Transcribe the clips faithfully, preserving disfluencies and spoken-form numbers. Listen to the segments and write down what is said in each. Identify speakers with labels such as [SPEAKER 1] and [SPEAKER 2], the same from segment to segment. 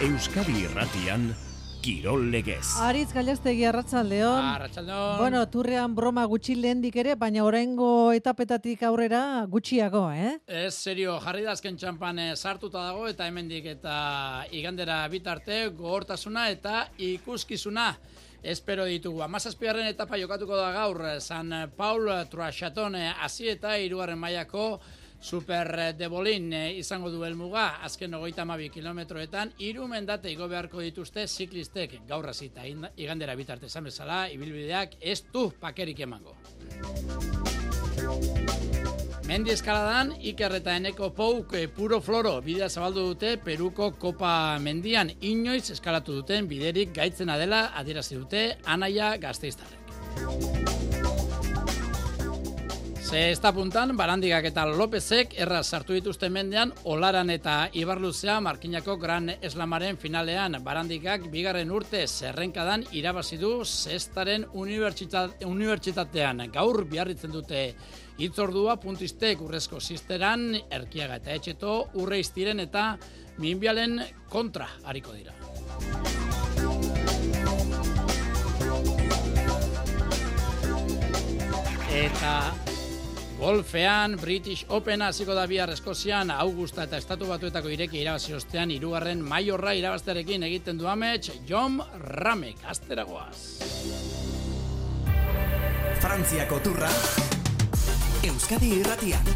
[SPEAKER 1] Euskadi Irratian, Kirol Legez.
[SPEAKER 2] Aritz Gallastegi, arratsaldeon.
[SPEAKER 3] Arratsaldeon.
[SPEAKER 2] Bueno, turrean broma gutxi lehendik ere, baina oraingo etapetatik aurrera gutxiago, eh?
[SPEAKER 3] Ez, serio, jarri da azken txampan sartuta dago eta hemendik eta igandera bitarte gogortasuna eta ikuskizuna. Espero ditugu. Hamazazpigarren etapa jokatuko da gaur, San Paul Truaxaton hasi eta hirugarren mailako Super de Bolin izango du helmuga, azken hogeita hamabi kilometroetan, hiru mendate igo beharko dituzte ziklistek gaur hasita igandera bitarte esan bezala, ibilbideak ez du pakerik emango. Mendi eskaladan, Iker eta Eneko Pouk puro floro bidea zabaldu dute Peruko Kopa mendian, inoiz eskalatu duten biderik gaitzena dela adierazi dute Anaia Gasteiztarrek. Ze esta puntan, Barandigak eta Lopezek erraz sartu dituzten mendean, Olaran eta Ibarluzea Markinako Gran Eslamaren finalean. Barandigak bigarren urte zerrenkadan irabazi du Zestaren unibertsitatean. Gaur biarritzen dute hitzordua puntistek urrezko zizteran, Erkiaga eta Etxeto, Urreiztiren eta Minbialen kontra hariko dira. Eta golfean, British Open hasiko da bihar Eskozian, Augusta eta Estatu Batuetako ireki irabazi ostean, hirugarren maiorra irabaztearekin egiten du amets, Jon Ramek, asteragoaz.
[SPEAKER 1] Frantziako turra, Euskadi Irratian.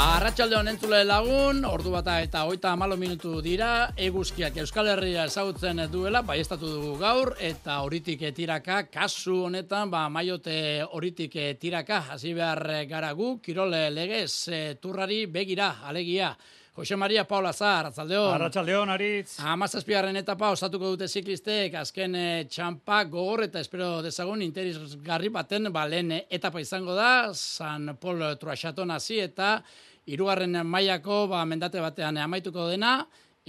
[SPEAKER 3] Arratsalde honen entzule lagun, ordu bata eta hogeita hamalau minutu dira, eguzkiak Euskal Herria ezagutzen duela, baiestatu dugu gaur, eta horitik tiraka, kasu honetan, ba, maiote horitik tiraka, hasi behar gara gu, Kirol Legez turrari begira, alegia. Jose Maria Paula Zar, arratsaldeon.
[SPEAKER 4] Arratsaldeon, Aritz.
[SPEAKER 3] Hamazazpigarren etapa osatuko dute ziklistek, azken txampa gogor eta espero dezagun interesgarri baten, ba, lehen etapa izango da, San Paul Truaxaton hasi eta hirugarren mailako ba, mendate batean amaituko dena,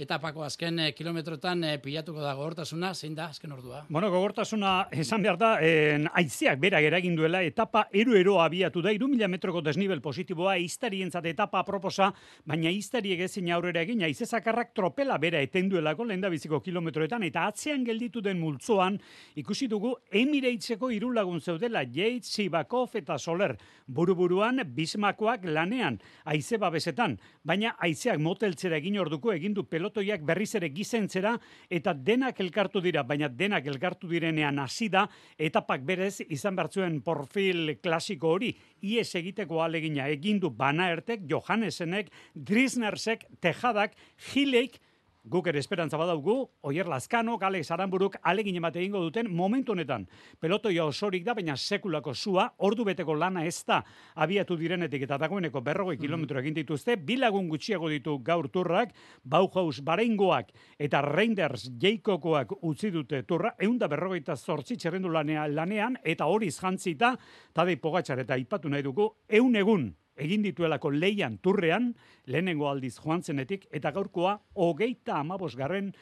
[SPEAKER 3] etapako azken kilometrotan pilatuko da gogortasuna, zein da azken ordua?
[SPEAKER 4] Bueno, gogortasuna esan behar da, en, aizeak berak eragin duela, etapa ero-ero abiatu da, iru mila metroko desnivel positiboa, iztarientzat etapa aproposa, baina iztariek ezin aurrera egin, aize zakarrak tropela bera etenduelako lehendabiziko kilometroetan, eta atzean gelditu den multzoan, ikusi dugu Emirateseko hiru lagun zeudela, Yates, Sivakov eta Soler, buru-buruan Bismakoak lanean, aize babesetan, baina aizeak moteltzera egin orduko egin du pelotoiak berriz ere gizentzera eta denak elkartu dira, baina denak elkartu direnean hasi da, etapak berez izan bertzuen profil klasiko hori, ies egiteko alegina egin du Van Aertek, Johannesenek, Drisnersek, Tejadak, Gileik, guk ere esperantza badaugu, Oier Lazkano, Alex Aranburuk alegin emate egingo duten momentu honetan. Pelotoia osorik da, baina sekulako sua, ordu beteko lana ez da abiatu direnetik eta dagoeneko berrogei kilometro egin dituzte, bilagun gutxiago ditu gaur turrak, Bauhaus Barengoak eta Reinders Jaikokoak utzi dute turra, eunda berrogeita zortzi txerrendu lanean, eta horiz jantzita, Tadej Pogačar eta aipatu nahi dugu, eun egun egin dituelako leian turrean, lehenengo aldiz joan zenetik, eta gaurkoa hogeita hamabosgarren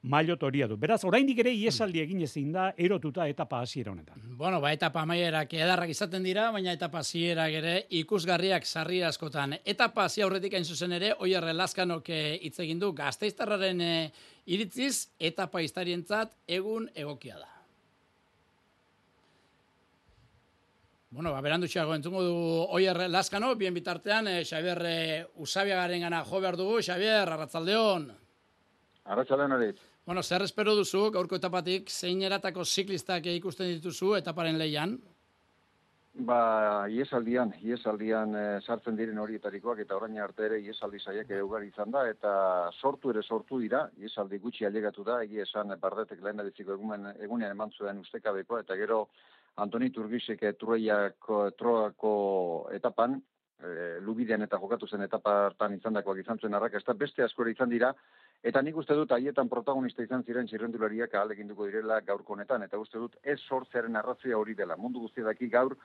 [SPEAKER 4] mailotoria du. Beraz, oraindik ere iesaldi egin ezin da erotuta etapa hasiera honetan.
[SPEAKER 3] Bueno, ba, etapa amaierak edarrak izaten dira, baina etapa hasierak ere ikusgarriak sarri askotan. Etapa hasi aurretik hain zuzen ere, Oier Lazkanok hitz egin du Gasteiztarraren iritziz, etapa historientzat egun egokia da. Bueno, ba, berandutxeago entzungo du Oier Lazkano, bien bitartean, eh, Xabier eh, Usabiagaren gana jo behar dugu. Xabier, arratsaldeon.
[SPEAKER 5] Arratsaldeon hori.
[SPEAKER 3] Bueno, zer espero duzu, gaurko etapatik, zein eratako ziklistak ikusten dituzu etaparen lehian?
[SPEAKER 5] Ba, iesaldian, iesaldian e, sartzen diren horietarikoak, eta orain arte ere iesaldi saiak ugari izan da, eta sortu ere sortu dira, iesaldi gutxi ailegatu da, egia esan Bardetek lehen ediziko egunean eman zuen ustekabekoa, eta gero Antoni Turgisek Troiako, Troako etapan, e, Lubidean eta jokatu zen etapartan izandakoak izan zuen arrakasta, beste askore izan dira, eta nik uste dut haietan protagonista izan ziren txirrendulariak ahaleginduko direla gaurko honetan, eta uste dut ez sortzearen arrazoia hori dela. Mundu guztiedaki gaur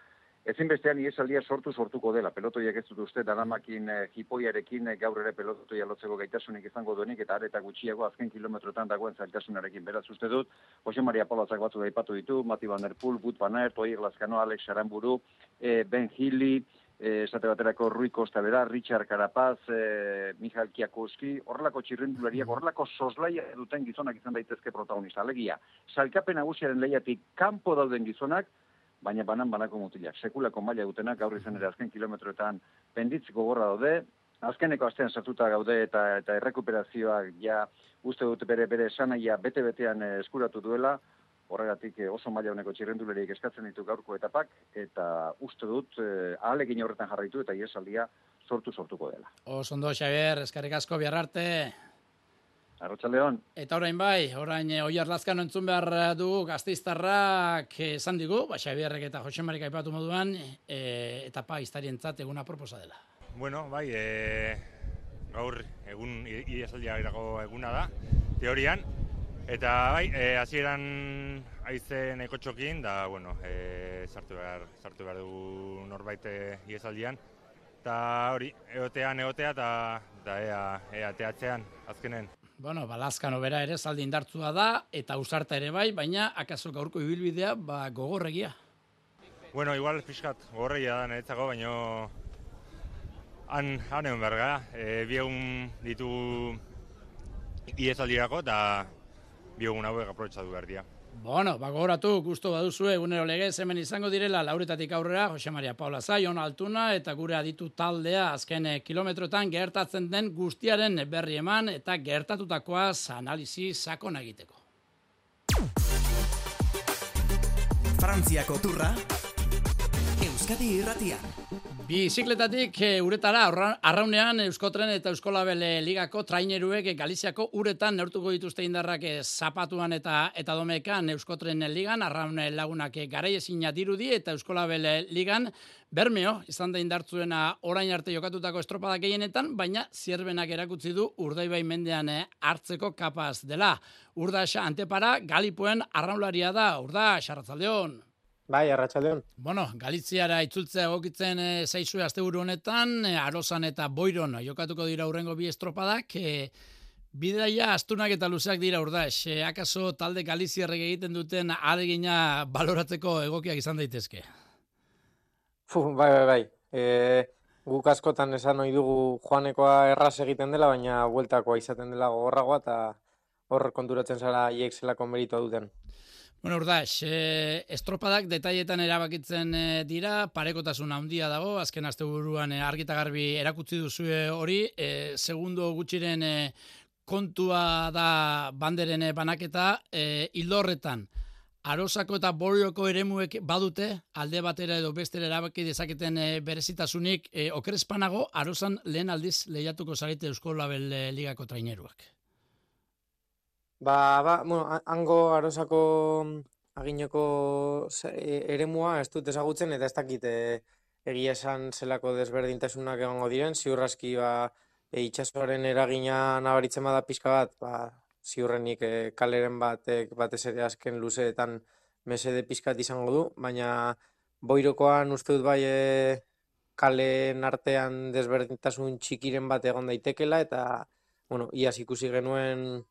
[SPEAKER 5] Ezinbestean iesaldia sortu sortuko dela. Pelotoiak ez dut uste, daramakin eh, jipoiarekin eh, gaur ere pelotoia lotzeko gaitasunik izango duenik, eta areta gutxiago azken kilometrotan dagoen zailtasunarekin. Beraz uste dut, Jose Maria Paulazak batzu daipatu ditu, Mati Van Der Poel, Wout van Aert, Oier Lazkano, Alex Aranburu, eh, Ben Healy, e, esate baterako Rui Costa bera, Richard Carapaz, e, Michael Kiakowski, horrelako txirrindulariak, horrelako soslaia duten gizonak izan daitezke protagonista. Alegia, sailkapen nagusiaren lehiatik kanpo dauden gizonak, baina banan banako mutilak. Sekulako maila dutenak gaur izan ere azken kilometroetan penditz gogorra daude, azkeneko astean sartuta gaude eta eta errekuperazioak ja uste dut bere bere esanaia bete-betean eskuratu duela, horregatik oso maila honeko txirrendulariek eskatzen ditu gaurko etapak, eta uste dut eh, ahalegin horretan jarraitu eta iesaldia sortu sortuko dela.
[SPEAKER 3] Oso ondo, Xabier, eskerrik asko bihar arte.
[SPEAKER 5] Arratsaldeon.
[SPEAKER 3] Eta orain bai, orain e, Oiar Lazkano entzun behar dugu Gasteiztarrak esan digu, ba, Xabierrek eta Jose Marik aipatu moduan, e, etapa iztarientzat eguna proposa dela.
[SPEAKER 6] Bueno, bai, e, gaur egun iesaldiarako eguna da, teorian, eta bai, e, hasieran haize nahiko txokin, da, bueno, e, sartu behar, sartu behar dugu norbait iesaldian, eta hori, egotean egotea, eta da ea, ea teatzean, azkenen.
[SPEAKER 3] Bueno, ba, Lazkano bera ere zaldi indartsua da, eta Ausarta ere bai, baina akaso gaurko ibilbidea ba, gogorregia.
[SPEAKER 6] Bueno, igual pixkat gogorregia da niretzako, baina han, han egon behar gara. E, bi egun ditugu iesaldirako, eta bi egun hauek aprobetxatu behar dira.
[SPEAKER 3] Bueno, ba, gogoratu, gusto baduzu egunero legez hemen izango direla, Lauretatik aurrera, Jose Maria Paula Zai, Jon Altuna, eta gure aditu taldea azken kilometroetan gertatzen den guztiaren berri eman, eta gertatutakoaz analizi sakon egiteko.
[SPEAKER 1] Frantziako turra, Euskadi irratian.
[SPEAKER 3] Bizikletatik e, uretara, arraunean Euskotren eta Euskolabel ligako traineruek Galiziako uretan neurtuko dituzte indarrak e, zapatuan eta eta domekan Euskotren ligan, arraun lagunak garaiezina dirudi eta Euskolabel ligan Bermeo izan da indartzuena orain arte jokatutako estropada gehienetan, baina Zierbenak erakutsi du Urdaibai mendean e, hartzeko kapaz dela. Urdax Antepara Galipuen arraunlaria da. Urdax, arratzaldeon.
[SPEAKER 7] Bai, arratsaldeon.
[SPEAKER 3] Bueno, Galiziara itzultzea egokitzen e, zaizue asteburu honetan, e, Arosan eta Boiron jokatuko dira hurrengo bi estropadak. E, bidaia astunak eta luzeak dira Urdax. E, akaso talde galiziarrek egiten duten ahalegina baloratzeko egokiak izan daitezke?
[SPEAKER 7] Fu, bai, bai, bai. E, guk askotan esan ohi dugu joanekoa erraz egiten dela, baina bueltakoa izaten dela gogorragoa, eta hor konturatzen zara hiek zelako meritua duten.
[SPEAKER 3] Bueno, Urdax, eh, estropadak detailetan erabakitzen eh, dira, parekotasun handia dago, azken asteburuan eh, argi eta garbi erakutsi duzue hori, eh, segundo gutxiren eh, kontua da banderen eh, banaketa, eh, hildo horretan, Arosako eta Borioko eremuek badute, alde batera edo bestera erabaki dezaketen eh, berezitasunik, eh, okerespanago, Arosan lehen aldiz lehiatuko zarete Euskolabel eh, ligako traineruak.
[SPEAKER 7] Ba, ba, bueno, hango Arosako agineko eremua ez dut ezagutzen, eta ez dakit e, egia esan zelako desberdintasunak egongo diren, ziur aski ba, e, itxasoaren eragina nabaritzen bada pixka bat, ba, ziurrenik e, kaleren batek batez ere azken luzeetan mesede pixkat izango du, baina Boirokoan uste dut bai e, kalen artean desberdintasun txikiren bat egon daitekela, eta bueno, iaz ikusi genuen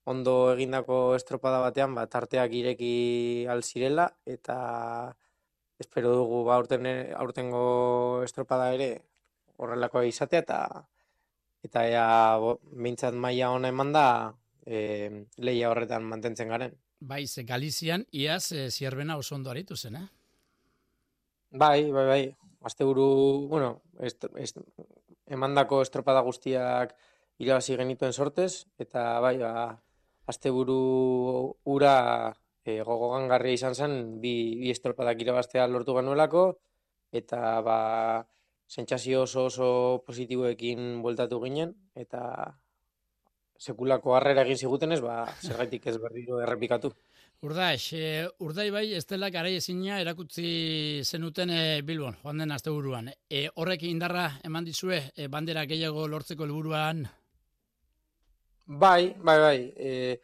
[SPEAKER 7] ondo egindako estropada batean, bat arteak ireki alzirela, eta espero dugu ba, aurten, aurtengo estropada ere horrelakoa izatea, eta eta ea behintzat maila ona eman da e, lehia horretan mantentzen garen.
[SPEAKER 3] Bai, ze Galizian iaz e, Zierbena oso ondo aritu zen, eh?
[SPEAKER 7] Bai, bai, bai. Asteburu, bueno, est, est, emandako estropada guztiak irabazi genituen sortez, eta bai, ba, asteburu ura e, gogogangarria izan zen, bi, bi estropadak irabaztea lortu genuelako, eta ba, sentsazio oso oso positiboekin bueltatu ginen, eta sekulako harrera egin zigutenez, ba, zergaitik ez berriro errepikatu.
[SPEAKER 3] Urdax, e, Urdaibai ez dela garaiezina erakutsi zenuten e, Bilbon, joan den asteburuan. E, horrek indarra eman dizue e, bandera gehiago lortzeko helburuan?
[SPEAKER 7] Bai, bai, bai. E,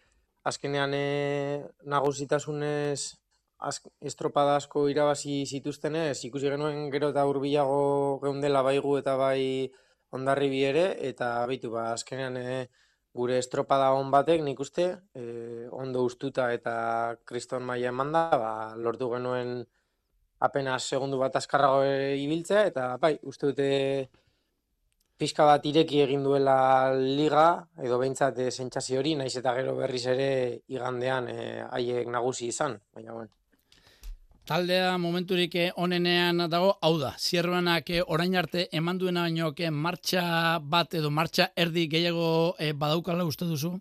[SPEAKER 7] azkenean e, nagusitasunez az, estropada asko irabazi zituztenez, ikusi genuen gero eta hurbilago geundela baigu eta bai Hondarribi ere, eta baitu ba, azkenean e, gure estropada on batek nik uste, e, ondo ustuta eta kriston maila emanda, ba, lortu genuen apenas segundu bat azkarrago ibiltzea, eta bai, uste dute pixka bat ireki egin duela liga, edo behintzat e, sentsazio hori, naiz eta gero berriz ere igandean haiek e, nagusi izan, baina bueno.
[SPEAKER 3] Taldea momenturik onenean dago, hau da, Zierbenak orain arte eman duena baino martxa bat edo martxa erdi gehiago e, badaukala uste duzu?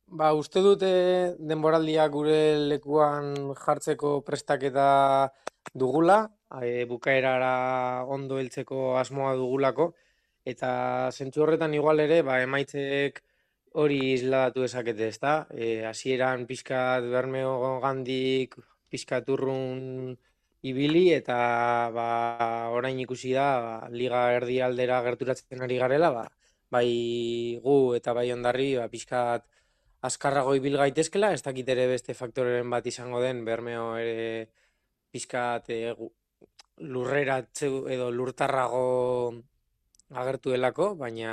[SPEAKER 7] Ba, uste dute denboraldia gure lekuan jartzeko prestaketa dugula, e, bukaerara ondo heltzeko asmoa dugulako, eta zentzu horretan igual ere, ba, emaitzek hori isladatu ezakete, ezta? E, hasieran pixkat Bermeo gandik, pixkat urrun ibili, eta ba, orain ikusi da, ba, liga erdi aldera gerturatzen ari garela, ba, bai gu eta bai ondarri, ba, pixkat azkarrago ibil gaitezkela, ez dakit ere beste faktoreren bat izango den, Bermeo ere pixkat e, lurreratze edo lurtarrago agertu delako, baina,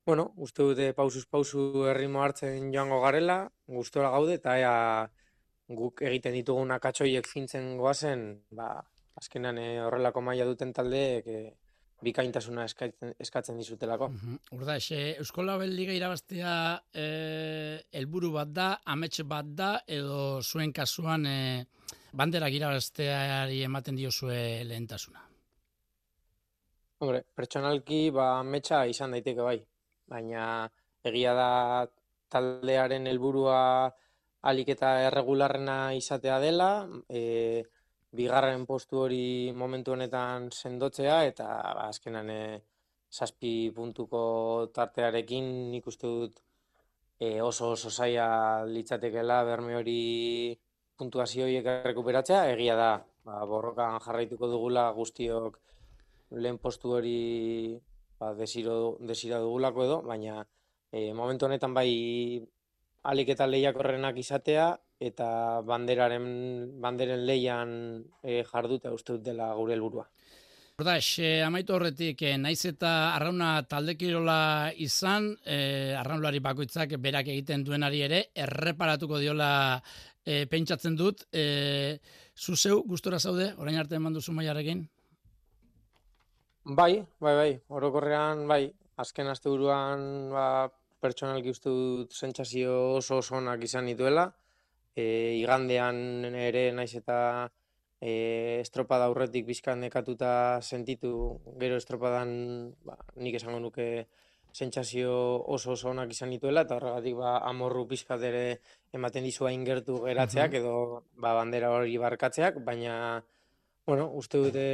[SPEAKER 7] bueno, uste dute pausuz pausu erritmo hartzen joango garela, gustora gaude, eta ea guk egiten ditugun akatsoiek fintzen goazen, ba, azkenan e, horrelako maila duten taldeek e, bikaintasuna eskatzen, eskatzen dizutelako.
[SPEAKER 3] Urda, uh-huh. Eusko Label Liga irabaztea helburu bat da, amets bat da, edo zuen kasuan e, banderak irabazteari ematen diozue lehentasuna?
[SPEAKER 7] Hombre, pertsonalki ba, ametsa izan daiteke bai, baina egia da taldearen helburua ahalik eta erregularrena izatea dela, e, bigarren postu hori momentu honetan sendotzea, eta ba, azkenan e, zazpi puntuko tartearekin nik uste dut e, oso oso zaila litzatekela Berme hori puntuazio horiek errekuperatzea. Egia da, ba, borrokan jarraituko dugula guztiok lehen postu hori ba, desiro, desira dugulako edo, baina e, momentu honetan bai ahalik eta lehiakorrenak izatea, eta banderaren banderen leian e, jarduta uste dut dela gure helburua.
[SPEAKER 3] Ordax, eh, amaitu horretik, eh, naiz eta arrauna taldekirola izan, eh, arraunlari bakoitzak berak egiten duenari ere, erreparatuko diola eh, pentsatzen dut. Eh, zuzeu, gustora zaude, orain arte eman duzu mailarekin?
[SPEAKER 7] Bai, bai, bai, orokorrean, bai, azken asteburuan ba, pertsonalki uste dut sentsazio oso oso onak izan dituela. E, igandean ere naiz eta e, estropada aurretik bizkan nekatuta sentitu, gero estropadan ba, nik esango nuke sentsazio oso oso onak izan dituela, eta horregatik ba, amorru pizkat ere ematen dizu hain gertu geratzeak, edo ba, bandera hori barkatzeak, baina bueno, uste dute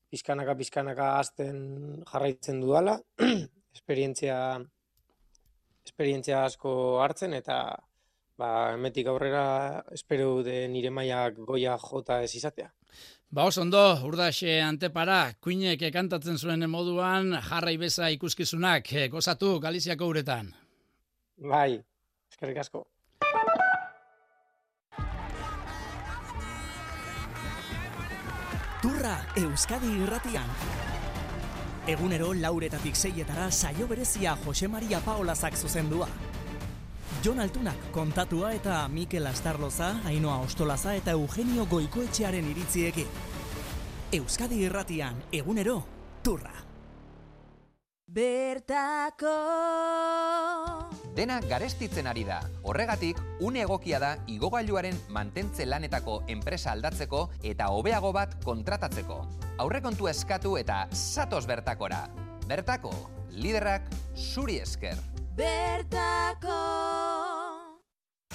[SPEAKER 7] pizkanaka pizkanaka azten jarraitzen dudala, esperientzia esperientzia asko hartzen, eta ba, emetik aurrera espero dute nire mailak goia jota ez izatea.
[SPEAKER 3] Ba, oso ondo, Urdaxe Antepara, Kuinek kantatzen zuen moduan, jarrai beza ikuskizunak, gozatu Galiziako uretan.
[SPEAKER 7] Bai, eskerrik asko.
[SPEAKER 1] Turra Euskadi Irratian. Egunero lauretatik seietara saio berezia Jose Maria Paolazak zuzendua. Jon Altunak kontatua eta Mikel Astarloza, Ainhoa Ostolaza eta Eugenio Goikoetxearen iritziekin. Euskadi Irratian, egunero, Turra.
[SPEAKER 8] Bertako
[SPEAKER 9] Dena garestitzen ari da. Horregatik, une egokia da igogailuaren mantentze lanetako enpresa aldatzeko eta hobeago bat kontratatzeko. Aurrekontua eskatu eta zatoz Bertakora. Bertako, liderrak zuri esker.
[SPEAKER 8] Bertako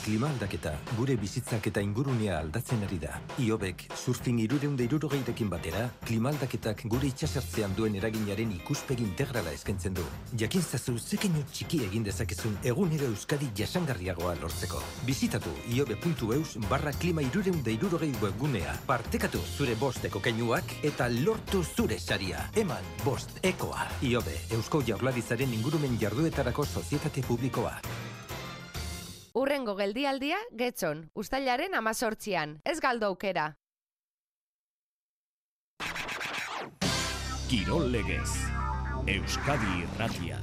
[SPEAKER 10] Klima aldaketa, gure bizitzak eta ingurunea aldatzen ari da. Iobek, surfing hirurehun eta hirurogeirekin batera, klima aldaketak gure itsasertzean duen eraginaren ikuspegi integrala eskaintzen du. Jakin zazu zekeinu txiki egin dezakezun egunero Euskadi jasangarriagoa lortzeko. Bizitatu iobe puntu eus barra klima hirurehun eta hirurogei webgunea. Partekatu zure bosteko keinuak eta lortu zure saria. Eman bost ekoa. Iobe, Eusko Jaurlaritzaren ingurumen jarduetarako sozietate publikoa.
[SPEAKER 11] Urrengo geldialdia, Getxon, uztailaren amazortzian. Ez galdu aukera.
[SPEAKER 12] Kirol legez, Euskadi Irratia.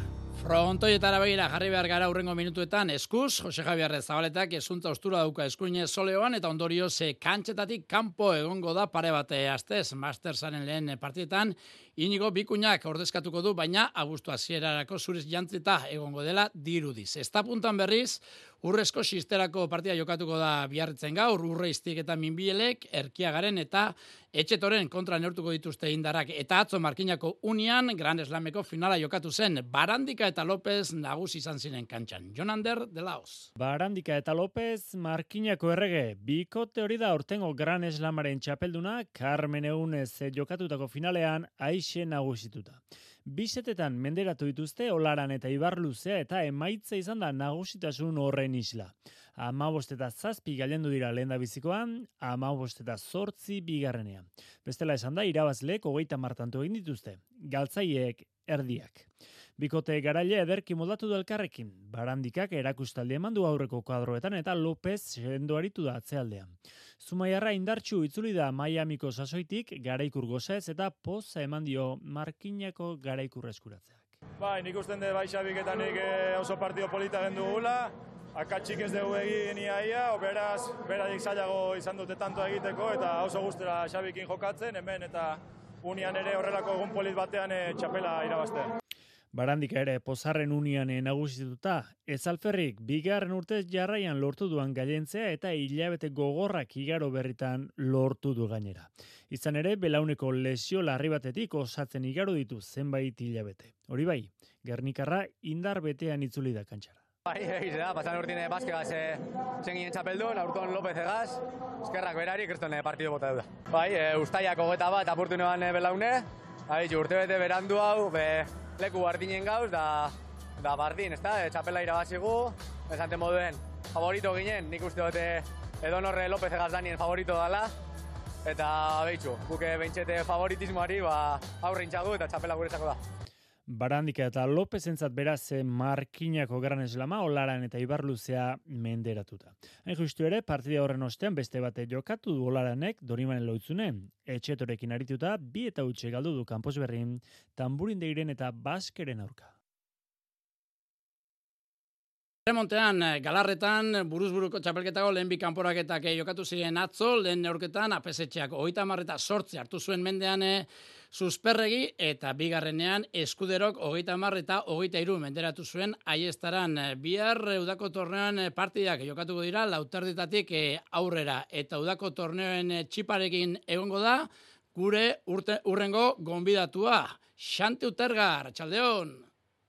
[SPEAKER 3] Frontoietara begira jarri behar gara urrengo minutuetan, eskuz, Jose Javier Zabaletak esuntza ostura dauka eskuine soleoan, eta ondorioz kantxetatik kanpo egongo da pare bate astez, Mastersaren lehen partidetan, Inigo Bikuñak ordezkatuko du, baina abuztu hasierarako zuriz jantzita egongo dela dirudiz. Esta puntan berriz, urrezko sisterako partida jokatuko da biarritzen gaur, urreiztik eta minbielek, erkiagaren eta etxetoren kontra neurtuko dituzte indarrak, eta atzo Markinako unian, Gran Slameko finala jokatu zen, Barandika eta López nagusi izan ziren kantxan. Jonander de Laos.
[SPEAKER 12] Barandika eta López Markinako errege, bikote hori da ortengo Gran Slamaren txapelduna, Carmen Egunez jokatutako finalean aixe nagusituta. Bisetetan menderatu dituzte Olaran eta Ibarluzea eta emaitza izan da nagusitasun horren isla. Hamabost eta zazpi gailendu dira lehen bizikoan, hamabost eta zortzi bigarrenean. Bestela esan da, irabazleek hogeita martantu egin dituzte, galtzaileek erdiak. Bikote garaile ederki moldatu du elkarrekin, Barandikak erakustaldi eman du aurreko kuadroetan eta López sendo aritu da atzealdean. Zumaiarra indartsu itzuli da Miamiko sasoitik garaikur gozez eta poza eman dio Markinako garaikur eskuratzeak.
[SPEAKER 13] Bai, nik usten dut bai Xabik eta nik oso partido polita gendu gula, akatsik ez dugu egin iaia, beraz, beradik zailago izan dute tanto egiteko eta oso guztera Xabikin jokatzen, hemen eta unian ere horrelako egun polit batean e, txapela irabaztea.
[SPEAKER 12] Barandika ere pozarren unian nagusituta, ez alferrik bigarren urtez jarraian lortu duan gailentzea eta hilabete gogorrak igaro berritan lortu du gainera. Izan ere, belauneko lesio larri batetik osatzen igaro ditu zenbait hilabete. Hori bai, Gernikarra indar betean itzuli da kantxara.
[SPEAKER 14] Bai, egize da, pasan urtine baskegaz zen ginen txapeldun, aurton López egaz, eskerrak berari, kriston partidu bota duda. Bai, e, ustaiak hogeta bat apurtu neban belaune, urte bete berandu hau, be, leku bardinen gauz, da, da bardin, ez da, e, txapela irabazigu, esante moduen, favorito ginen, nik uste dute edonorre López egaz danien favorito dala, eta behitxu, guke behintxete favoritismoari ba, aurrin txagu eta txapela guretzako da.
[SPEAKER 12] Barandika eta López entzat beraz Markinako Gran Slama, Olaran eta Ibarluzea menderatuta. Hain justu ere, partida horren ostean beste bate jokatu du Olaranek Dorimanen Loitzunen. Etxetorekin arituta, bi eta utxe galdu du Kanpos Berrin, Tamburindeiren eta Baskeren aurka.
[SPEAKER 3] Remontean, Galarretan, buruz-buruko txapelketako lehen bi kanporaketak jokatu ziren atzo, lehen neurketan, apesetxeak hogeita hamar eta zortzi hartu zuen mendean Susperregi, eta bigarrenean eskuderok hogeita hamar eta hogeita hiru menderatu zuen aiestaran. Bihar udako torneoan partidak jokatuko dira, lauterditatik aurrera, eta udako torneoen txiparekin egongo da, gure urte, urrengo gonbidatua. Xante Utergar, Txaldeon!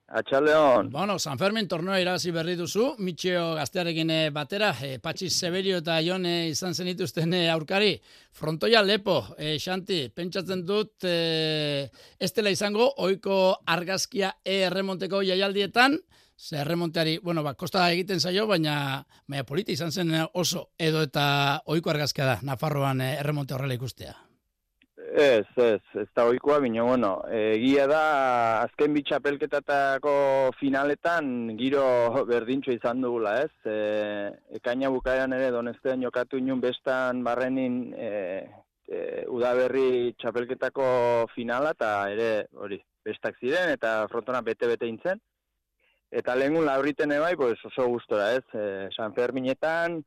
[SPEAKER 15] Atxaldeon.
[SPEAKER 3] Bueno, San Fermin torneo irabazi berri duzu, Mitxeo gaztearekin batera, e, Patxi Severio eta Jon e, izan zenituzten e, aurkari. Frontoia lepo, e, Xanti, pentsatzen dut e, ez dela izango, oiko argazkia e erremonteko jaialdietan, ze erremonteari, bueno, ba, kosta egiten zaio, baina, baina politi izan zen oso, edo eta oiko argazkia da, Nafarroan e, erremonte horrela ikustea.
[SPEAKER 15] Ez, ez, ez da oikoa, bino, bueno, egia da, azken bitxapelketatako finaletan giro berdintxo izan dugula, ez? E, ekaina bukaeran ere donestean jokatu inun bestan barrenin e, e, udaberri txapelketako finala, eta ere, hori, bestak ziren, eta frontona bete-bete intzen. Eta lehengun lauriten ebai, pues oso gustora, ez? E, San Ferminetan,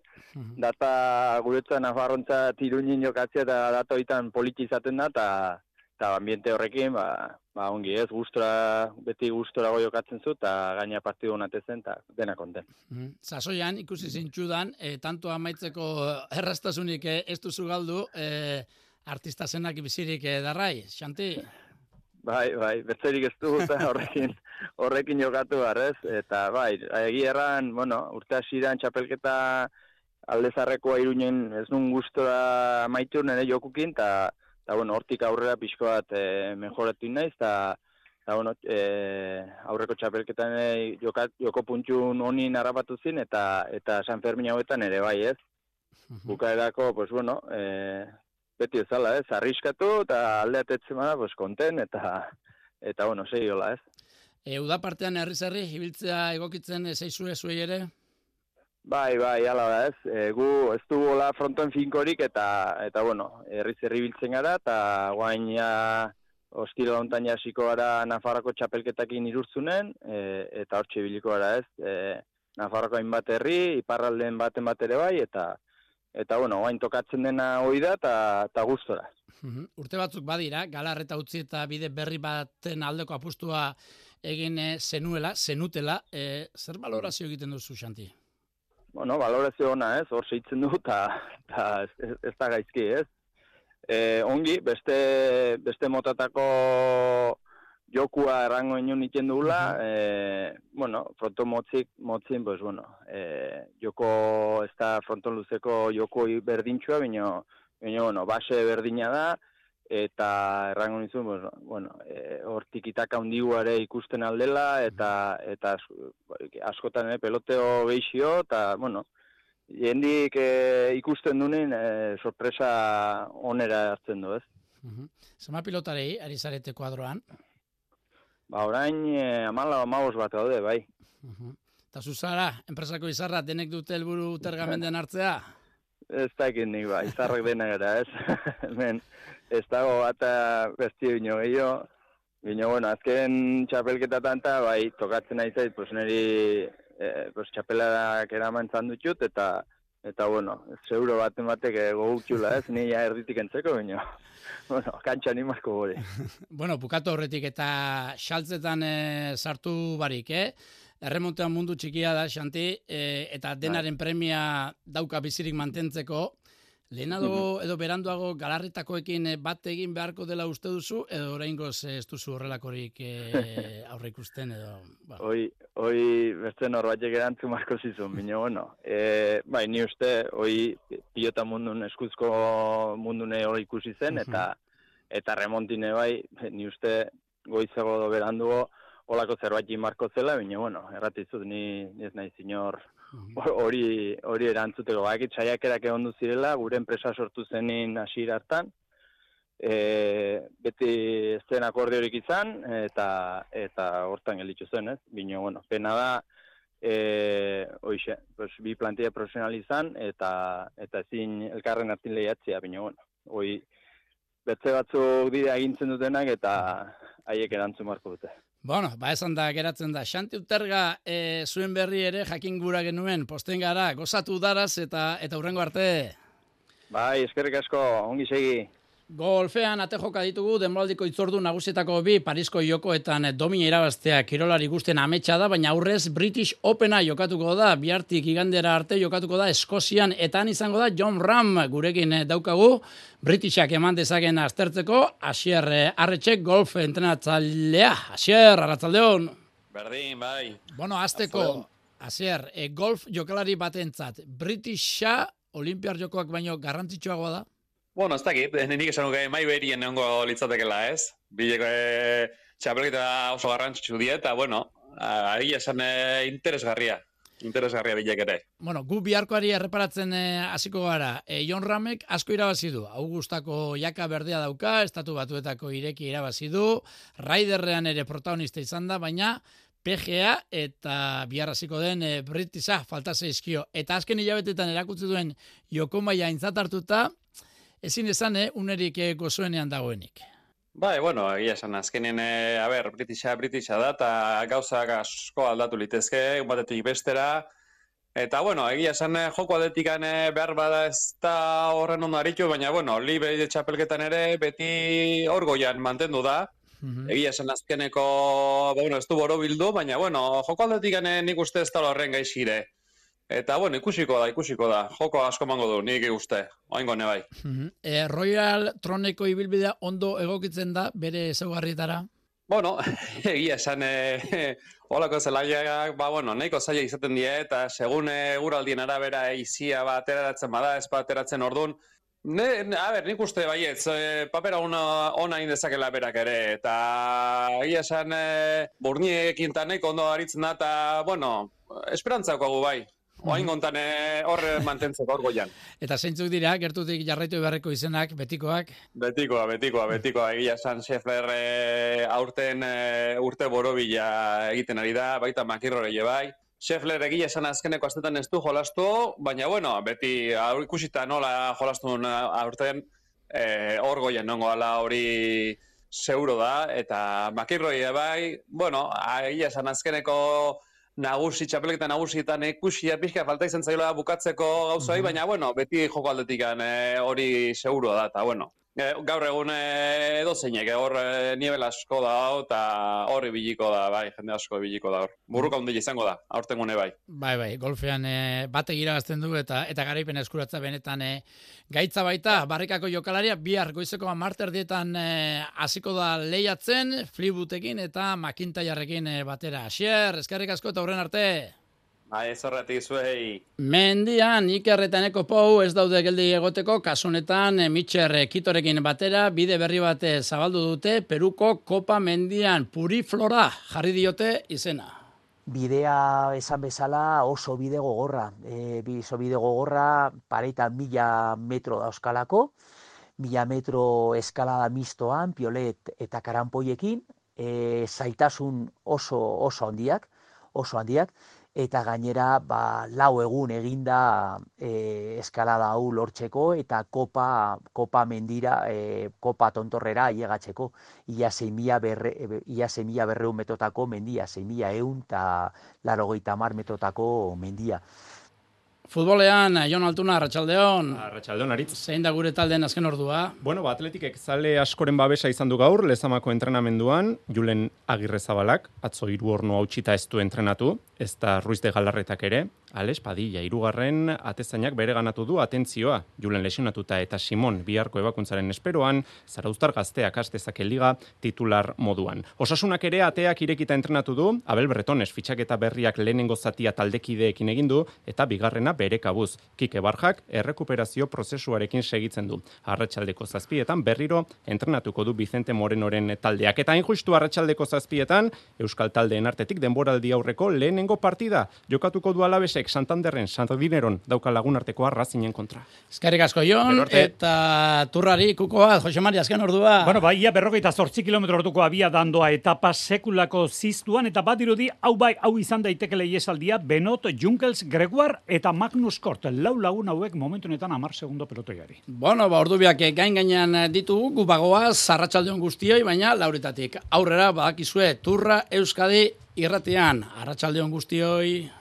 [SPEAKER 15] data guretzan Nafarrontza tiruñin jokatzea eta data hoitan politi izaten da, eta ambiente horrekin, ba, ba ongi ez, gustora, beti gustorago jokatzen zu, eta gaina partidu honatezen, eta dena konten.
[SPEAKER 3] Mm. Sasoian, ikusi zintxudan, e, tanto amaitzeko errastasunik e, ez duzu galdu, e, artista zenak bizirik e, darrai, Xanti?
[SPEAKER 15] Bai, bai, betzerik ez du eta horrekin, horrekin jokatu barrez, eta bai, egia erran, bueno, urte hasieran txapelketa aldezarrekoa Iruñen ez nun gustora maitu nire jokukin, eta, eta bueno, hortik aurrera pixko bat e, mejoratu naiz, eta, eta bueno, e, aurreko txapelketan e, jokat, joko puntxun honin harrapatu zin, eta, eta San Fermin hauetan ere bai, ez? Bukaerako, pues bueno, e, beti ezala, ez, arriskatu, eta aldeatetzen bada, pues, konten, eta, eta bueno, sei hola, ez.
[SPEAKER 3] E, uda partean herri-zerri, ibiltzea egokitzen zeizue zuei ere?
[SPEAKER 15] Bai, bai, ala da, ez. E, gu ez du hola frontoen finkorik, eta, eta bueno, herri-zerri ibiltzen gara, eta guain ja ostira hontan jasiko gara Nafarroko txapelketakin irurtzunen, e, eta hortxe biliko gara ez, e, Nafarroko hainbat herri, iparralden baten bat ere bai, eta eta bueno, oain tokatzen dena hoi da, eta gustora.
[SPEAKER 3] Uhum. Urte batzuk badira, Galarreta utzi eta bide berri baten aldeko apustua egin zenuela, zenutela, e, zer balorazio egiten duzu, Xanti?
[SPEAKER 15] Bueno, balorazio ona ez, hor seitzen du, eta ez, ez, ez da gaizki ez. E, ongi, beste, beste motatako jokua errango inoen iten dugula, uh-huh. e, bueno, fronton motzik, motzin, pues, bueno, e, joko, ez da fronton luzeko joko berdintxua, bino, bino, bueno, base berdina da, eta errango nizun, pues, bueno, e, hor tikitaka handiguare ikusten aldela, eta, eta askotan e, peloteo geixio, eta, bueno, jendik e, ikusten dunin e, sorpresa onera hartzen du, ez?
[SPEAKER 3] Uh-huh. Zema pilotarei, ari zarete kuadroan?
[SPEAKER 15] Ba, orain e, amala amabos bat gaude, bai.
[SPEAKER 3] Uh-huh. Eta zuzara, enpresako izarra, denek dute helburu tergamenden hartzea?
[SPEAKER 15] Ez dakit nik, ba, izarrak denak gara, ez? Men, ez dago bat besti bino gehiago. Bino, bueno, azken txapelketatan eta, bai, tokatzen nahi zait, pues, niri eh, pues, txapeladak eraman dutxut, eta, eta, bueno, seguro baten batek gogutxula, ez? Ni ja erditik entzeko, bino. Bueno, kantxa animasko gori.
[SPEAKER 3] Bueno, bukatu horretik eta xaltzetan e, sartu barik, eh? Erremontean mundu txikia da, Xanti, e, eta denaren premia dauka bizirik mantentzeko. Lehenago edo beranduago Galarretakoekin bat egin beharko dela uste duzu, edo oraingoz ez duzu horrelakorik e, aurre ikusten, edo... Ba.
[SPEAKER 15] Hoi, hoi beste norbaitek erantzun marko zizun, bino, bueno. E, bai, ni uste, hoi pilota mundun, eskuzko mundune hori ikusi zen, eta eta remontine bai, ni uste goizago do berandugo holako zerbait marko zela, bino, bueno, erratizut ni ez nahi zinor hori hori erantzuteko. Bakit saiakerak egon du zirela, gure enpresa sortu zenin hasiera hartan, e, beti ez zen akordiorik izan, eta eta hortan gelditu zen, ez? Bino, bueno, pena da, e, oixe, pues, bi plantilla profesional izan, eta eta ezin elkarren hartin lehiatzea, bino, bueno, hoi betze batzuk dira agintzen dutenak, eta haiek erantzun marko dute.
[SPEAKER 3] Bueno, ba esan da geratzen da. Xanti Uterga, e, zuen berri ere jakin gura genuen, posten gara, gozatu daraz eta eta hurrengo arte.
[SPEAKER 15] Bai, eskerrik asko, ongi segi.
[SPEAKER 3] Golfean ate joka ditugu, denboraldiko itzordu nagusietako bi, Parisko jokoetan domina irabaztea kirolari guztien ametsa da, baina aurrez British Opena jokatuko da, bihartik igandera arte jokatuko da Eskozian, eta han izango da Jon Rahm gurekin daukagu, Britishak eman dezaken aztertzeko, Asier Arretxek golf entrenatzailea. Asier, arratzaldeon.
[SPEAKER 16] Berdin, bai.
[SPEAKER 3] Bueno, azteko, Asier, e, golf jokalari batentzat, Britisha Olimpiar jokoak baino garrantzitsuagoa da?
[SPEAKER 16] Bueno, ez dakit, nik esan nuke mai berien neongo litzatekela, ez? Bileko e, txapelketa oso garrantzitsu die, eta, bueno, ari esan e, interesgarria, interesgarria bilek ere.
[SPEAKER 3] Bueno, gu biharkoari erreparatzen hasiko gara. E, Jon Rahmek asko irabazi du. Augustako jaka berdea dauka, Estatu Batuetako ireki irabazi du, Raiderrean ere protagonista izan da, baina P G A eta bihar hasiko den e, Britisa falta zaizkio. Eta azken hilabetetan erakutsi duen joko maila aintzat hartuta, ezin esan, eh, unerik eh, gozoenean dagoenik.
[SPEAKER 16] Bai, bueno, egia esan, azkenien, eh, a ber, Britisha, Britisha da, eta gauzak asko aldatu litezke, batetik bestera, eta, bueno, egia esan, eh, joko aldetikan eh, behar bada ez da horren ondo aritu, baina, bueno, libre txapelketan ere beti orgoian mantendu da, mm-hmm. Egia esan, azkeneko, bueno, ez du boro bildu, baina, bueno, joko aldetikan eh, nik uste ez da horren gaizire. Eta, bueno, ikusiko da, ikusiko da. Joko asko mango du, nik uste. Oaingo ne bai.
[SPEAKER 3] Mm-hmm. e, Royal Troneko ibilbidea ondo egokitzen da, bere ezaugarrietara?
[SPEAKER 16] Bueno, egia esan, e, holako zelaiak, ba, bueno, nahiko zaila izaten die, eta segun eguraldien arabera izia ba, ateratzen bada, ez ba, ateratzen ordun. Ne, ne, a ber, nik uste baietz, e, papera ona, ona indezakela berak ere, eta egia esan, e, burniekin eta nahiko ondo aritzen da, eta, bueno, esperantzako gu bai. Oain gontan horre mantentzeko orgoian.
[SPEAKER 3] Eta zeintzuk dira, gertutik jarraitu beharreko izenak, betikoak?
[SPEAKER 16] Betikoa, betikoa, betikoa. Egia esan Scheffler e, aurten e, urte borobila egiten ari da, baita makirrore bai. Scheffler egia esan azkeneko astetan ez du jolastu, baina bueno, beti ikusita nola jolastu aurten, e, orgoian nongo ala hori seguro da, eta makirroi bai, bueno, egia esan azkeneko nagusi, txapelketa nagusietan ikusia pixka falta izan zaiola bukatzeko gauzai, mm-hmm. baina, bueno, beti joko aldetikan hori seguro da, eta, bueno, gaur egun edo zeinek, hor nivel asko da, eta horri biliko da, bai, jende asko biliko da hor. Burruka hundile izango da, aurten gune bai.
[SPEAKER 3] Bai, bai, golfean e, batek iragazten du eta eta garaipen eskuratza benetan e, gaitza baita, barrikako jokalaria, bihar goizeko marter dietan hasiko da lehiatzen, Fleetwoodekin eta McIntyrerekin e, batera. Xier, eskerrik asko eta aurren arte.
[SPEAKER 16] Bai, zorratik zuei.
[SPEAKER 3] Mendian, Iker eta Eneko Pou ez daude geldi egoteko, kasunetan Mitxer Kitorekin batera, bide berri bat zabaldu dute, Peruko Kopa Mendian Puriflora jarri diote izena.
[SPEAKER 17] Bidea esan bezala oso bide gogorra, e, oso bide gogorra pareitan mila metro dauzkalako, mila metro eskalada mistoan, piolet eta karanpoiekin, e, zaitasun oso, oso handiak, oso handiak, eta gainera ba, lau egun eginda e, eskalada hau lortzeko eta kopa, kopa mendira, e, kopa tontorrera ailegatzeko. Ia sei mila berreun metotako mendia, sei mila ehun eta laurogeita hamar metotako mendia.
[SPEAKER 3] Futbolean, Jon Altuna, Arratsaldeon.
[SPEAKER 18] Arratsaldeon, Aritz.
[SPEAKER 3] Zein da gure talden azken ordua?
[SPEAKER 18] Bueno, ba, Atletikek zale askoren babesa izan du gaur, Lezamako entrenamenduan, Julen Agirrezabalak, atzo hiru orno hautsita ez du entrenatu, ez da Ruiz de Galarretak ere, Ales Padilla, hirugarren atezainak bere ganatu du atentzioa, Julen lesionatuta eta Simon biharko ebakuntzaren esperoan, Zarauztar gazteak astezake liga titular moduan. Osasunak ere ateak irekita entrenatu du, Abel Bretones fitxaketa berriak lehenengo zatia taldekideekin egin du, eta bigarrena bere kabuz. Kike Barjak errekuperazio prozesuarekin segitzen du. Arratsaldeko zazpietan berriro entrenatuko du Vicente Morenoren taldeak. Eta hain justu arratsaldeko zazpietan, Euskal taldeen artetik denboraldi aurreko lehenengo partida jokatuko du Alabesek Santanderren, Santandineron dauka lagun artekoa Racingen kontra.
[SPEAKER 3] Eskerrik asko, Jon, eta turrari kukoa, Jose Mari, azken ordua.
[SPEAKER 4] Bueno, ba, ia berrogeita zortzi kilometro orduko abia dandoa etapa sekulako ziztuan, eta bat dirudi, hau bai, hau izan daiteke leiesaldia, Benot, Junkels, Gregoire eta Magnus Kort, lau lagun hauek momentu honetan hamar segundo pelotoiari.
[SPEAKER 3] Bueno, ba, ordubiak gain gainean ditugu, gu bagoaz, arratsaldeon guztioi, baina lauretatik aurrera badakizue Turra Euskadi irratian. Arratsaldeon guztioi.